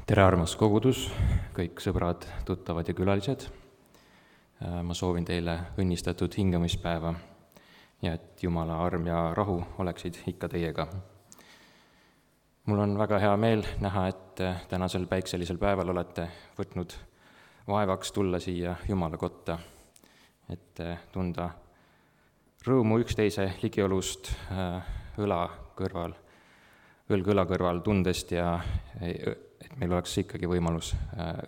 tere, armas kogudus, kõik sõbrad, tuttavad ja külalised. Ma soovin teile õnnistatud hingamispäeva ja et Jumala arm ja rahu oleksid ikka teiega. Mul on väga hea meel näha, et tänasel päikselisel päeval olete võtnud vaevaks tulla siia Jumala kotta, et tunda rõõmu üksteise ligiolust õlg õla kõrval tundest ja et meil oleks ikkagi võimalus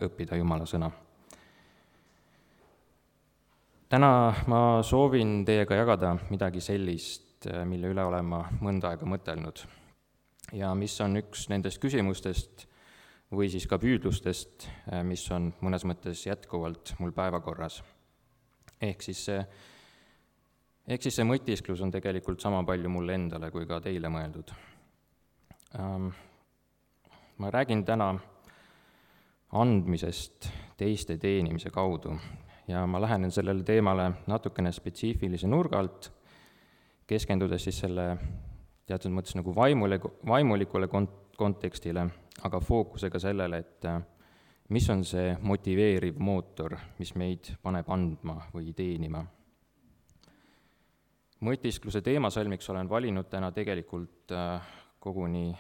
õppida Jumala sõna. Täna ma soovin teiega jagada midagi sellist, mille üle olen ma mõnda aega mõtelnud ja mis on üks nendest küsimustest või siis ka püüdlustest, mis on mõnes mõttes jätkuvalt mul päevakorras. Ehk siis see mõtisklus on tegelikult sama palju mulle endale kui ka teile mõeldud. Ma räägin täna andmisest teiste teenimise kaudu ja ma lähenen sellele teemale natukene spetsiifilise nurga alt, keskendudes siis selle teatud mõttes nagu vaimulikule kontekstile, aga fookusega sellele, et mis on see motiveeriv mootor, mis meid paneb andma või teenima. Mõtiskluse teemasalmiks olen valinud täna tegelikult koguni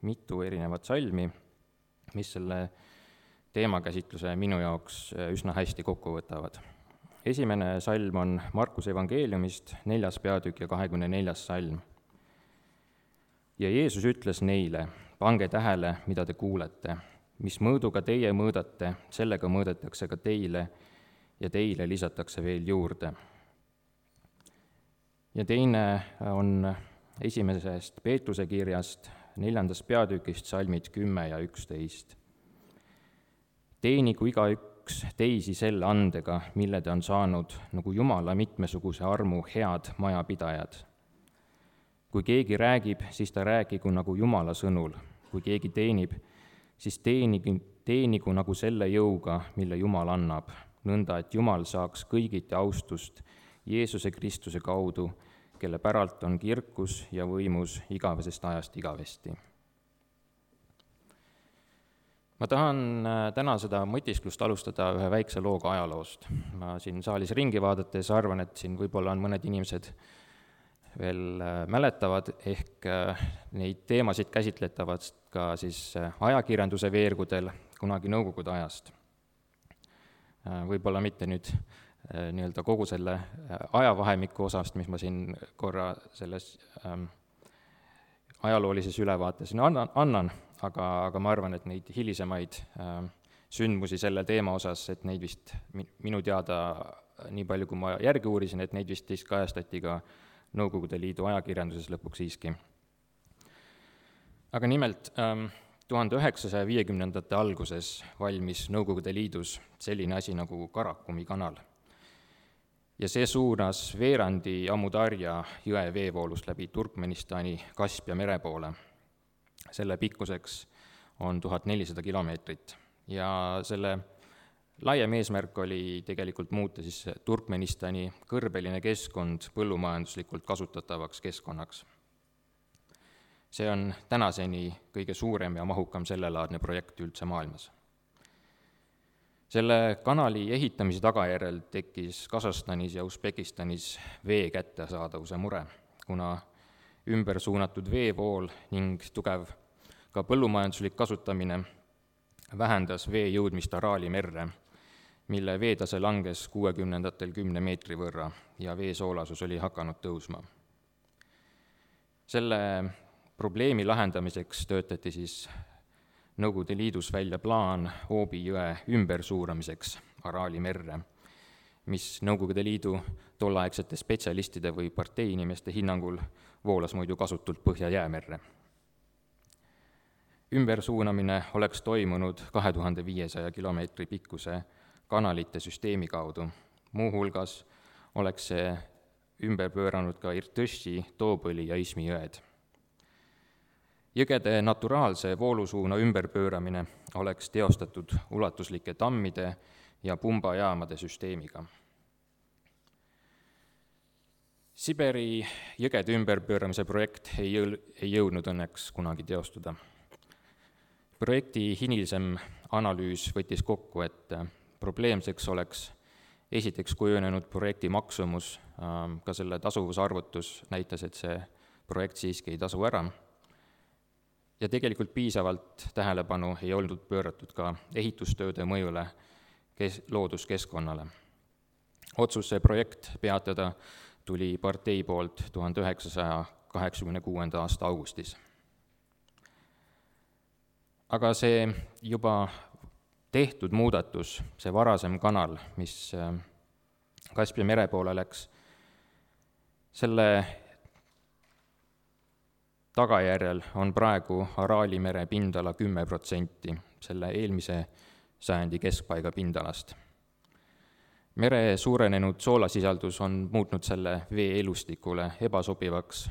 mitu erinevat salmi, mis selle teemakäsitluse minu jaoks üsna hästi kokku võtavad. Esimene salm on Markuse evangeeliumist, 4. peatükk ja 24. salm. Ja Jeesus ütles neile, pange tähele, mida te kuulete, mis mõõduga teie mõõdate, sellega mõõdetakse ka teile ja teile lisatakse veel juurde. Ja teine on esimesest Peetruse kirjast, 4. peatükist salmid 10 ja 11. Teenigu igaüks teisi selle andega, mille ta on saanud, nagu Jumala mitmesuguse armu head majapidajad. Kui keegi räägib, siis ta räägigu nagu Jumala sõnul. Kui keegi teenib, siis teenigu nagu selle jõuga, mille Jumal annab, nõnda, et Jumal saaks kõigiti austust Jeesuse Kristuse kaudu, kelle päralt on kirkus ja võimus igavesest ajast igavesti. Ma tahan täna seda mõtisklust alustada ühe väikse looga ajaloost. Ma siin saalis ringi vaadates arvan, et siin võib-olla on mõned inimesed veel mäletavad, ehk neid teemasid käsitletavad ka siis ajakirjanduse veergudel kunagi nõukogude ajast. Võib-olla mitte nüüd nii-öelda kogu selle ajavahemiku osast, mis ma siin korra selles ajaloolises ülevaates annan, aga ma arvan, et neid hilisemaid sündmusi selle teema osas, et neid vist minu teada, nii palju kui ma järgi uurisin, et neid vist kajastati ka Nõukogude Liidu ajakirjanduses lõpuks siiski. Aga nimelt 1950. alguses valmis Nõukogude Liidus selline asi nagu Karakumi kanal. Ja see suunas veerandi Amudarja jõe veevoolust läbi Turkmenistani Kaspia mere poole. Selle pikkuseks on 1400 kilomeetrit ja selle laiem eesmärk oli tegelikult muuta siis Turkmenistani kõrbeline keskkond põllumajanduslikult kasutatavaks keskkonnaks. See on tänaseni kõige suurem ja mahukam sellelaadne projekt üldse maailmas. Selle kanali ehitamise tagajärjel tekkis Kasahstanis ja Usbekistanis vee kättesaadavuse mure, kuna ümber suunatud veevool ning tugev ka põllumajanduslik kasutamine vähendas vee jõudmist Araali merre, mille veetase langes 60-ndatel 10 meetri võrra ja vee soolasus oli hakanud tõusma. Selle probleemi lahendamiseks töötati siis Nõukogude Liidus välja plaan Oobi jõe ümbersuuramiseks Araali merre, mis Nõukogude Liidu tolleaegsete spetsialistide või parteiinimeste hinnangul voolas muidu kasutult Põhja-Jäämerre. Ümbersuunamine oleks toimunud 2500 kilomeetri pikkuse kanalite süsteemi kaudu. Muuhulgas oleks see ümber pööranud ka Irtõši, Toobõli ja Ismi jõed. Jõgede naturaalse voolusuuna ümberpööramine oleks teostatud ulatuslike tammide ja pumbajaamade süsteemiga. Siberi jõgede ümberpööramise projekt ei jõudnud õnneks kunagi teostuda. Projekti hilisem analüüs võttis kokku, et probleemseks oleks esiteks kujunenud projekti maksumus, ka selle tasuvusarvutus näitas, et see projekt siiski ei tasu ära, ja tegelikult piisavalt tähelepanu ei olnud pööratud ka ehitustööde mõjule looduskeskkonnale. Otsus see projekt peatada tuli partei poolt 1986. aasta augustis. Aga see juba tehtud muudatus, see varasem kanal, mis Kaspia mere poole läks, selle tagajärjel on praegu Araali mere pindala 10% selle eelmise sajandi keskpaiga pindalast. Mere suurenenud soolasisaldus on muutnud selle vee elustikule ebasobivaks,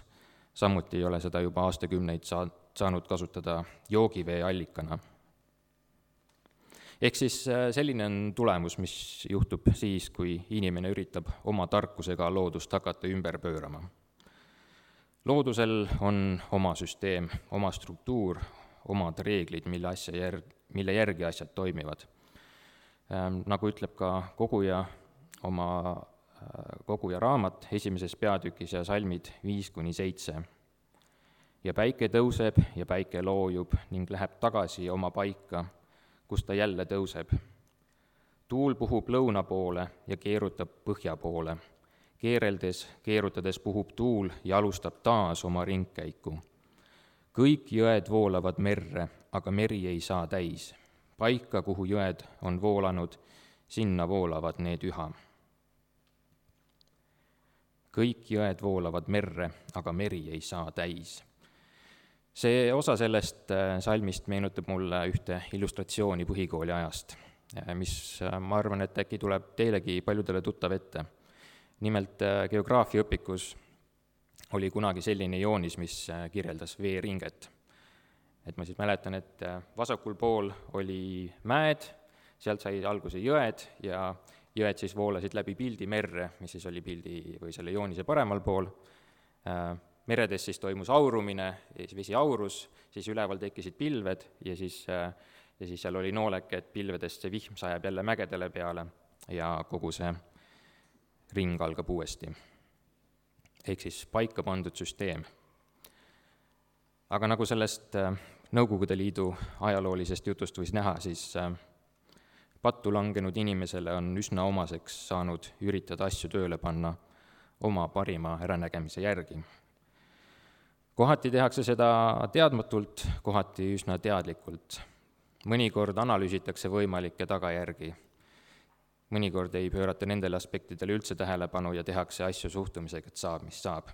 samuti ei ole seda juba aastakümneid saanud kasutada joogivee allikana. Ehk siis selline on tulemus, mis juhtub siis, kui inimene üritab oma tarkusega loodust hakata ümber pöörama. Loodusel on oma süsteem, oma struktuur, omad reeglid, mille järgi asjad toimivad. Nagu ütleb ka koguja raamat esimeses peatükis ja salmid 5-7. Ja päike tõuseb ja päike loojub ning läheb tagasi oma paika, kus ta jälle tõuseb. Tuul puhub lõuna poole ja keerutab põhja poole. Keerutades puhub tuul ja alustab taas oma ringkäiku. Kõik jõed voolavad merre, aga meri ei saa täis. Paika, kuhu jõed on voolanud, sinna voolavad need üha. Kõik jõed voolavad merre, aga meri ei saa täis. See osa sellest salmist meenutab mulle ühte illustratsiooni põhikooli ajast, mis ma arvan, et äkki tuleb teilegi paljudele tuttav ette. Nimelt geograafiaõpikus oli kunagi selline joonis, mis kirjeldas veeringet. Et ma siis mäletan, et vasakul pool oli mäed, sealt sai alguse jõed ja jõed siis voolasid läbi pildi merre, mis siis oli pildi või selle joonise paremal pool. Meredes siis toimus aurumine, vesi aurus, siis üleval tekkisid pilved ja siis seal oli noolek, et pilvedest see vihm sajab jälle mägedele peale ja kogu see ring algab uuesti. Ehk siis paika pandud süsteem. Aga nagu sellest Nõukogude Liidu ajaloolisest jutust võis näha, siis pattu langenud inimesele on üsna omaseks saanud üritada asju tööle panna oma parima äranägemise järgi. Kohati tehakse seda teadmatult, kohati üsna teadlikult. Mõnikord analüüsitakse võimalikke tagajärgi. Mõnikord ei pöörata nendele aspektidele üldse tähelepanu ja tehakse asju suhtumisega, et saab, mis saab.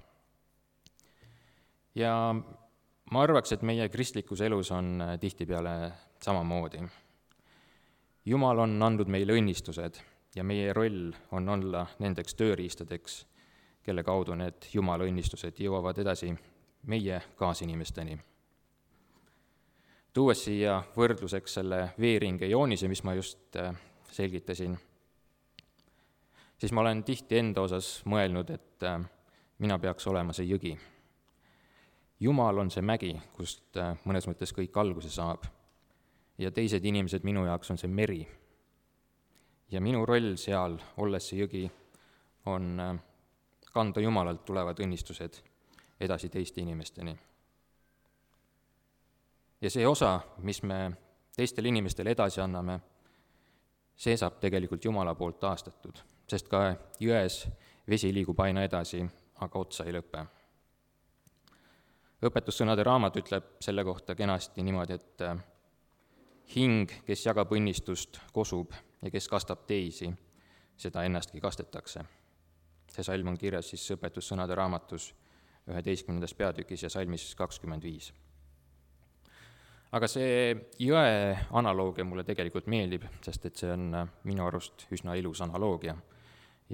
Ja ma arvaks, et meie kristlikus elus on tihtipeale samamoodi. Jumal on andnud meile õnnistused ja meie roll on olla nendeks tööriistadeks, kelle kaudu need Jumala õnnistused jõuavad edasi meie kaasinimesteni. Tuues siia võrdluseks selle veeringe joonise, mis ma just selgitasin, siis ma olen tihti enda osas mõelnud, et mina peaks olema see jõgi. Jumal on see mägi, kust mõnes mõttes kõik alguse saab. Ja teised inimesed minu jaoks on see meri. Ja minu roll seal, olles see jõgi, on kanda Jumalalt tulevad õnnistused edasi teiste inimesteni. Ja see osa, mis me teistele inimestele edasi anname, see saab tegelikult Jumala poolt taastatud, sest ka jões vesi liigub aina edasi, aga otsa ei lõpe. Õpetussõnade raamat ütleb selle kohta kenasti niimoodi, et hing, kes jagab õnnistust, kosub ja kes kastab teisi, seda ennastki kastetakse. See salm on kirjas siis õpetussõnade raamatus 11. peatükis ja salmis 25. Aga see jõe analoogia mulle tegelikult meeldib, sest et see on minu arust üsna ilus analoogia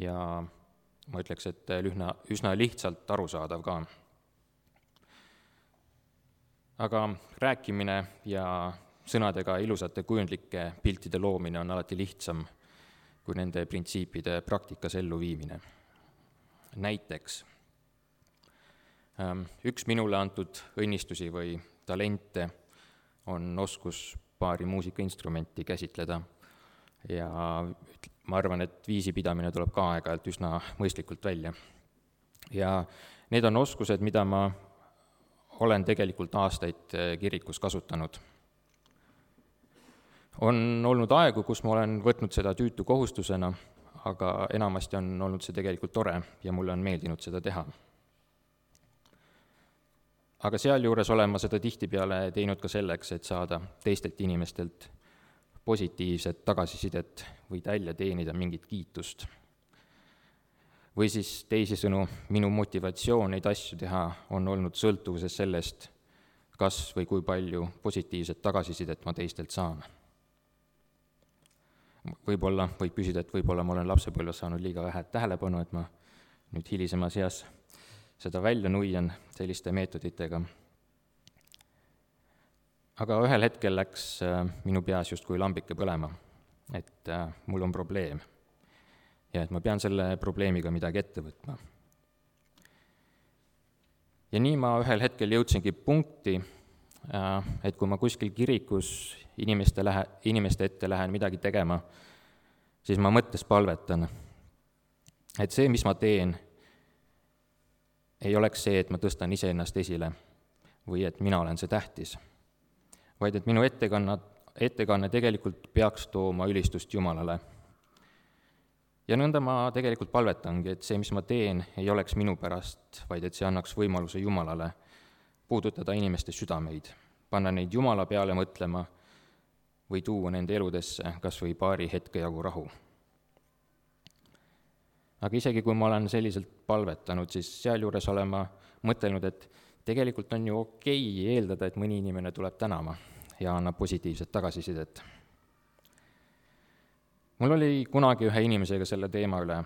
ja ma ütleks, et üsna lihtsalt arusaadav ka. Aga rääkimine ja sõnadega ilusate kujundlike piltide loomine on alati lihtsam kui nende printsiipide praktikas elluviimine. Näiteks, üks minule antud õnnistusi või talente on oskus paari muusikainstrumenti käsitleda ja ma arvan, et viisi pidamine tuleb ka aeg-ajalt üsna mõistlikult välja. Ja need on oskused, mida ma olen tegelikult aastaid kirikus kasutanud. On olnud aegu, kus ma olen võtnud seda tüütu kohustusena, aga enamasti on olnud see tegelikult tore ja mulle on meeldinud seda teha. Aga sealjuures olen ma seda tihtipeale teinud ka selleks, et saada teistelt inimestelt positiivset tagasisidet või välja teenida mingit kiitust. Või siis teisisõnu, minu motivatsioon neid asju teha on olnud sõltuvuses sellest, kas või kui palju positiivset tagasisidet ma teistelt saan. Võib-olla võib küsida, et võib-olla ma olen lapsepõlves saanud liiga vähe tähelepanu, et ma nüüd hilisemas eas seda välja nuian selliste meetoditega. Aga ühel hetkel läks minu peas justkui lambike põlema, et mul on probleem ja et ma pean selle probleemiga midagi ette võtma. Ja nii ma ühel hetkel jõudsingi punkti, et kui ma kuskil kirikus inimeste ette lähen midagi tegema, siis ma mõttes palvetan, et see, mis ma teen, ei oleks see, et ma tõstan iseennast esile või et mina olen see tähtis, vaid et minu ettekanne tegelikult peaks tooma ülistust Jumalale. Ja nõnda ma tegelikult palvetangi, et see, mis ma teen, ei oleks minu pärast, vaid et see annaks võimaluse Jumalale puudutada inimeste südameid, panna neid Jumala peale mõtlema või tuua nende eludesse kas või paari hetke jagu rahu. Aga isegi kui ma olen selliselt palvetanud, siis sealjuures olen ma mõtelnud, et tegelikult on ju okei eeldada, et mõni inimene tuleb tänama ja annab positiivset tagasisidet. Mul oli kunagi ühe inimesega selle teema üle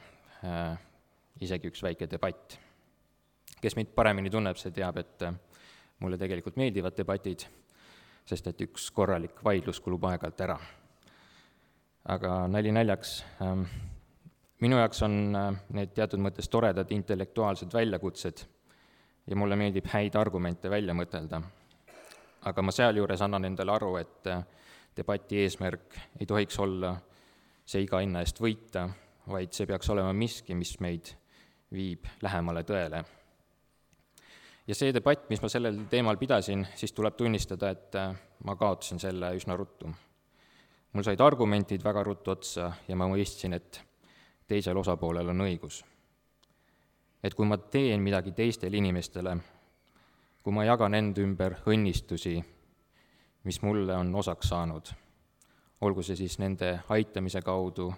isegi üks väike debatt. Kes mind paremini tunneb, see teab, et mulle tegelikult meeldivad debatid, sest et üks korralik vaidlus kulub aeg-ajalt ära. Aga nali naljaks, minu jaoks on need teatud mõttes toredad intellektuaalsed väljakutsed ja mulle meeldib häid argumente välja mõtelda. Aga ma sealjuures annan endale aru, et debati eesmärk ei tohiks olla see iga hinna eest võita, vaid see peaks olema miski, mis meid viib lähemale tõele. Ja see debatt, mis ma sellel teemal pidasin, siis tuleb tunnistada, et ma kaotasin selle üsna ruttu. Mul said argumentid väga ruttu otsa ja ma mõistsin, et teisel osapoolel on õigus. Et kui ma teen midagi teistele inimestele, kui ma jagan enda ümber õnnistusi, mis mulle on osaks saanud, olgu see siis nende aitamise kaudu,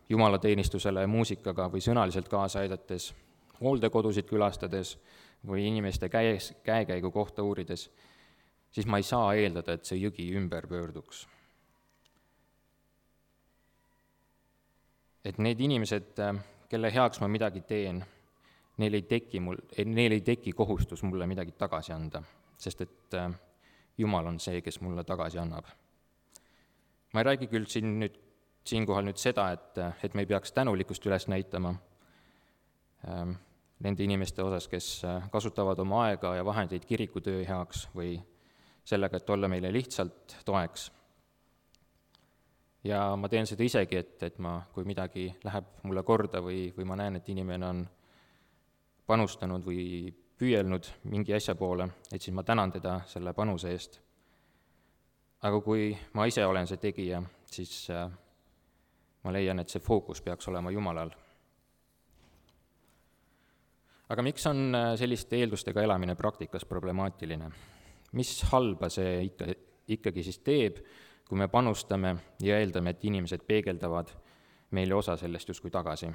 jumalateenistusele muusikaga või sõnaliselt kaasa aidates, hooldekodusid külastades või inimeste käekäigu kohta uurides, siis ma ei saa eeldada, et see jõgi ümber pöörduks. Et need inimesed, kelle heaks ma midagi teen, neil ei teki kohustus mulle midagi tagasi anda, sest et Jumal on see, kes mulle tagasi annab. Ma ei räägi küll siinkohal seda, et me ei peaks tänulikkust üles näitama nende inimeste osas, kes kasutavad oma aega ja vahendeid kirikutöö heaks või sellega, et olla meile lihtsalt toeks. Ja ma teen seda isegi, et ma, kui midagi läheb mulle korda või ma näen, et inimene on panustanud või püüelnud mingi asja poole, et siis ma tänan teda selle panuse eest. Aga kui ma ise olen see tegija, siis ma leian, et see fookus peaks olema Jumalal. Aga miks on selliste eeldustega elamine praktikas problemaatiline? Mis halba see ikkagi siis teeb, kui me panustame ja eeldame, et inimesed peegeldavad meile osa sellest justkui tagasi?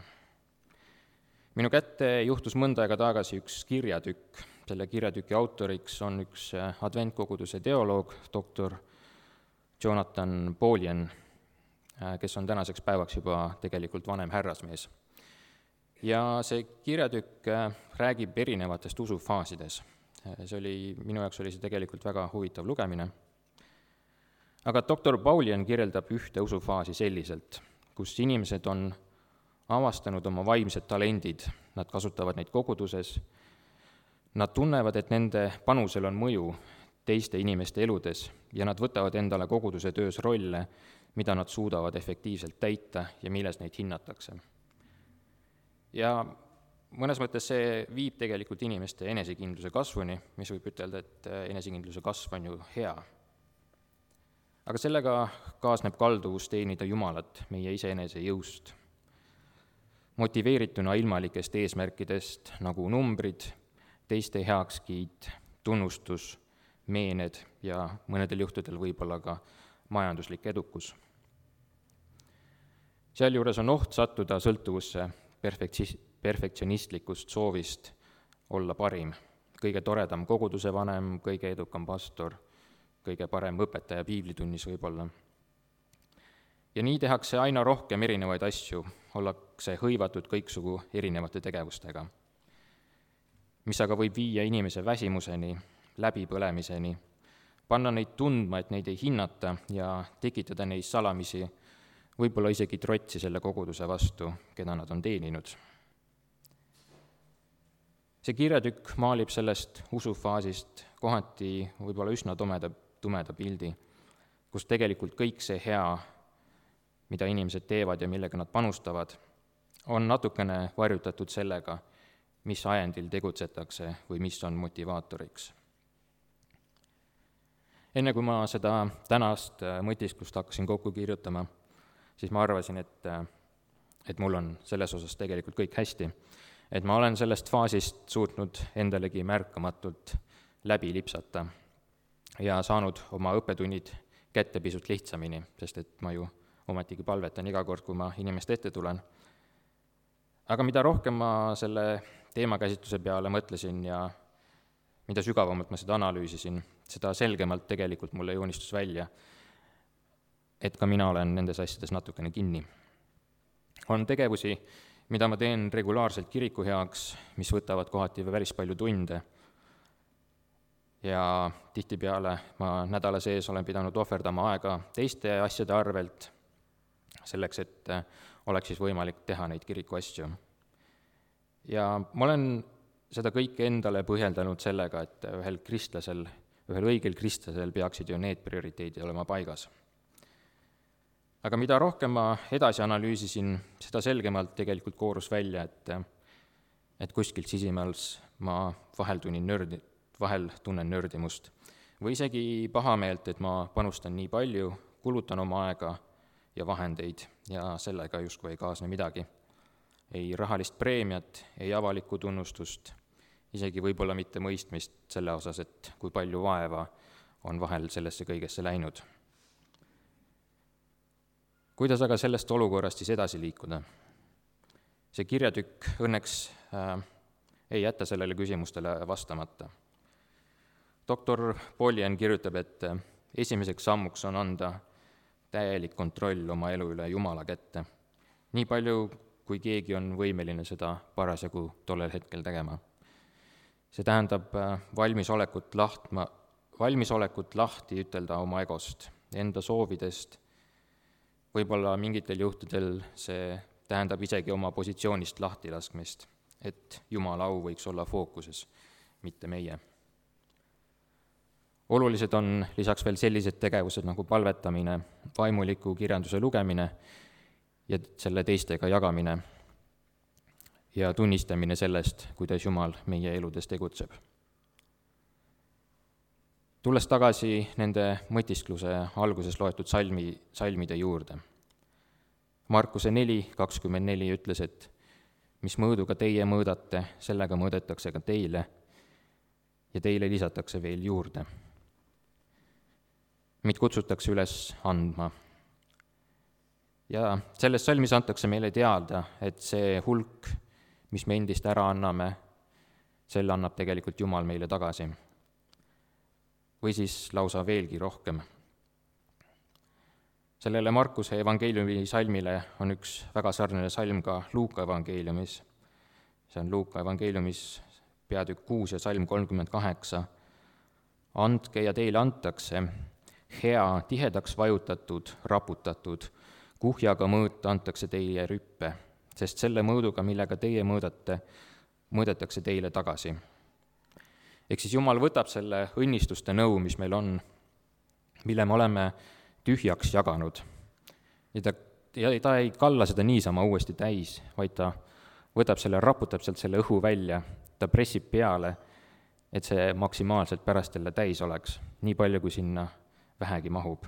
Minu kätte juhtus mõnda aega tagasi üks kirjatükk. Selle kirjatüki autoriks on üks adventkoguduse teoloog, doktor Jonathan Bolien, kes on tänaseks päevaks juba tegelikult vanem härrasmees. Ja see kirjatükk räägib erinevatest usufaasides. Minu jaoks oli see tegelikult väga huvitav lugemine. Aga doktor Bolien kirjeldab ühte usufaasi selliselt, kus inimesed on avastanud oma vaimsed talendid, nad kasutavad neid koguduses, nad tunnevad, et nende panusel on mõju teiste inimeste eludes ja nad võtavad endale koguduse töös rolle, mida nad suudavad efektiivselt täita ja milles neid hinnatakse. Ja mõnes mõttes see viib tegelikult inimeste enesekindluse kasvuni, mis võib ütelda, et enesekindluse kasv on ju hea. Aga sellega kaasneb kalduvus teenida Jumalat meie iseenese jõust, motiveerituna ilmalikest eesmärkidest nagu numbrid, teiste heakskiit, tunnustus, meened ja mõnedel juhtudel võib-olla ka majanduslik edukus. Sealjuures on oht sattuda sõltuvusse perfektsionistlikust soovist olla parim, kõige toredam koguduse vanem, kõige edukam pastor, kõige parem õpetaja piiblitunnis võib-olla. Ja nii tehakse aina rohkem erinevaid asju, ollakse hõivatud kõiksugu erinevate tegevustega, mis aga võib viia inimese väsimuseni, läbipõlemiseni, panna neid tundma, et neid ei hinnata ja tekitada neis salamisi, võib-olla isegi trotsi selle koguduse vastu, keda nad on teeninud. See kirjatükk maalib sellest usufaasist kohati võib-olla üsna tumeda pildi, kus tegelikult kõik see hea, mida inimesed teevad ja millega nad panustavad, on natukene varjutatud sellega, mis ajendil tegutsetakse või mis on motivaatoriks. Enne kui ma seda tänast mõtisklust hakkasin kokku kirjutama, siis ma arvasin, et mul on selles osas tegelikult kõik hästi, et ma olen sellest faasist suutnud endalegi märkamatult läbi lipsata ja saanud oma õppetunnid kätte pisut lihtsamini, sest et ma ju ometigi palvetan iga kord, kui ma inimeste ette tulen. Aga mida rohkem ma selle teemakäsitluse peale mõtlesin ja mida sügavamalt ma seda analüüsisin, seda selgemalt tegelikult mulle joonistus välja, et ka mina olen nendes asjades natukene kinni. On tegevusi, mida ma teen regulaarselt kiriku heaks, mis võtavad kohati päris palju tunde. Ja tihtipeale ma nädala sees olen pidanud ohverdama aega teiste asjade arvelt, selleks, et oleks siis võimalik teha neid kiriku asju. Ja ma olen seda kõike endale põhjeldanud sellega, et ühel õigel kristlasel peaksid ju need prioriteedid olema paigas. Aga mida rohkem ma edasi analüüsisin, seda selgemalt tegelikult koorus välja, et kuskilt sisimas ma vahel tunnen nördimust või isegi pahameelt, et ma panustan nii palju, kulutan oma aega ja vahendeid ja sellega justkui ei kaasne midagi. Ei rahalist preemiat, ei avalikku tunnustust, isegi võib-olla mitte mõistmist selle osas, et kui palju vaeva on vahel sellesse kõigesse läinud. Kuidas aga sellest olukorrast siis edasi liikuda? See kirjatükk õnneks ei jäta sellele küsimustele vastamata. Doktor Poljen kirjutab, et esimeseks sammuks on anda täielik kontroll oma elu üle Jumala kätte. Nii palju, kui keegi on võimeline seda parasjagu tollel hetkel tegema. See tähendab valmisolekut lahti ütelda oma egost, enda soovidest. Võib-olla mingitel juhtudel see tähendab isegi oma positsioonist lahtilaskmist, et Jumala au võiks olla fookuses, mitte meie. Olulised on lisaks veel sellised tegevused nagu palvetamine, vaimuliku kirjanduse lugemine ja selle teistega jagamine ja tunnistamine sellest, kuidas Jumal meie eludes tegutseb. Tulles tagasi nende mõtiskluse alguses loetud salmide juurde. Markuse 4:24 ütles, et mis mõõduga teie mõõdate, sellega mõõdetakse ka teile ja teile lisatakse veel juurde. Meid kutsutakse üles andma. Ja selles salmis antakse meile teada, et see hulk, mis me endist ära anname, selle annab tegelikult Jumal meile tagasi. Või siis lausa veelgi rohkem. Sellele Markuse evangeeliumi salmile on üks väga sarnane salm ka Luuka evangeeliumis. See on Luuka evangeeliumis peatükk 6 ja salm 38. Andke ja teile antakse, hea, tihedaks vajutatud, raputatud, kuhjaga mõõt antakse teile rüppe, sest selle mõõduga, millega teie mõõdate, mõõdetakse teile tagasi. Ehk siis Jumal võtab selle õnnistuste nõu, mis meil on, mille me oleme tühjaks jaganud. Ja ta ei kalla seda niisama uuesti täis, vaid ta võtab selle, raputab sealt selle õhu välja, ta pressib peale, et see maksimaalselt pärast jälle täis oleks, nii palju, kui sinna vähegi mahub.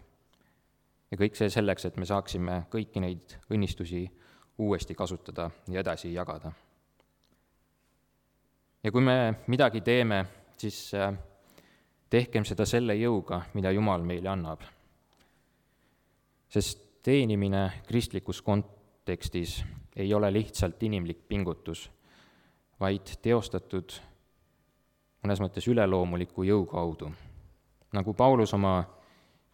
Ja kõik see selleks, et me saaksime kõiki neid õnnistusi uuesti kasutada ja edasi jagada. Ja kui me midagi teeme, siis tehkem seda selle jõuga, mida Jumal meile annab. Sest teenimine kristlikus kontekstis ei ole lihtsalt inimlik pingutus, vaid teostatud mõnes mõttes üleloomuliku jõu kaudu. Nagu Paulus oma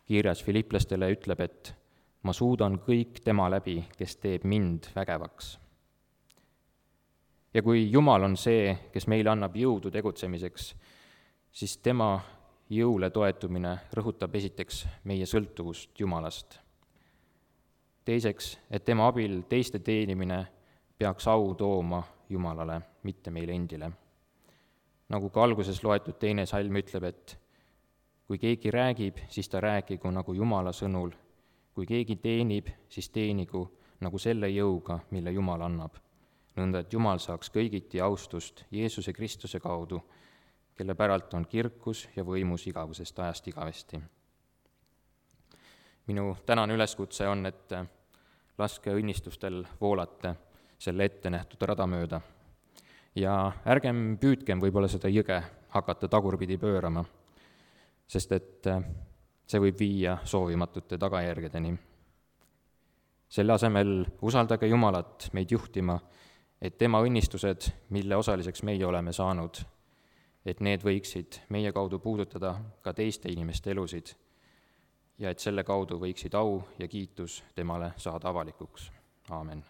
kirjas Filiplastele ütleb, et ma suudan kõik tema läbi, kes teeb mind vägevaks. Ja kui Jumal on see, kes meile annab jõudu tegutsemiseks, siis tema jõule toetumine rõhutab esiteks meie sõltuvust Jumalast. Teiseks, et tema abil teiste teenimine peaks au tooma Jumalale, mitte meile endile. Nagu ka alguses loetud 2. salm ütleb, et kui keegi räägib, siis ta räägigu nagu Jumala sõnul, kui keegi teenib, siis teenigu nagu selle jõuga, mille Jumal annab. Nõnda, et Jumal saaks kõigiti austust Jeesuse Kristuse kaudu, kelle päralt on kirkus ja võimus igavusest ajast igavesti. Minu tänane üleskutse on, et laske õnnistustel voolata selle ette nähtud rada mööda. Ja ärgem püüdkem võib-olla seda jõge hakata tagurpidi pöörama, sest et see võib viia soovimatute tagajärgedeni. Selle asemel usaldage Jumalat meid juhtima, et tema õnnistused, mille osaliseks meie oleme saanud, et need võiksid meie kaudu puudutada ka teiste inimeste elusid ja et selle kaudu võiksid au ja kiitus temale saada avalikuks. Aamen.